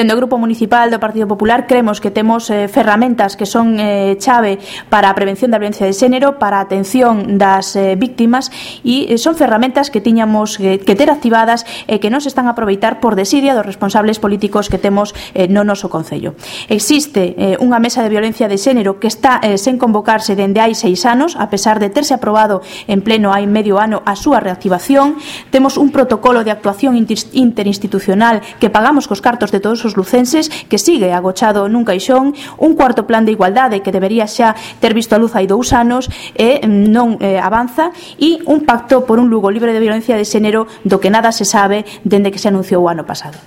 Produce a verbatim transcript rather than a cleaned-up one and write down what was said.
Dende o Grupo Municipal do Partido Popular cremos que temos eh, ferramentas que son eh, chave para a prevención da violencia de xénero, para a atención das eh, víctimas, e eh, son ferramentas que tiñamos eh, que ter activadas e que non se están a aproveitar por desidia dos responsables políticos que temos eh, no noso Concello. Existe eh, unha mesa de violencia de xénero que está eh, sen convocarse dende hai seis anos, a pesar de terse aprobado en pleno hai medio ano a súa reactivación. Temos un protocolo de actuación interinstitucional que pagamos cos cartos de todos os lucenses, que sigue agochado nun caixón, un cuarto plan de igualdade que debería xa ter visto a luz hai dous anos e non eh, avanza, e un pacto por un Lugo libre de violencia de xénero do que nada se sabe dende que se anunciou o ano pasado.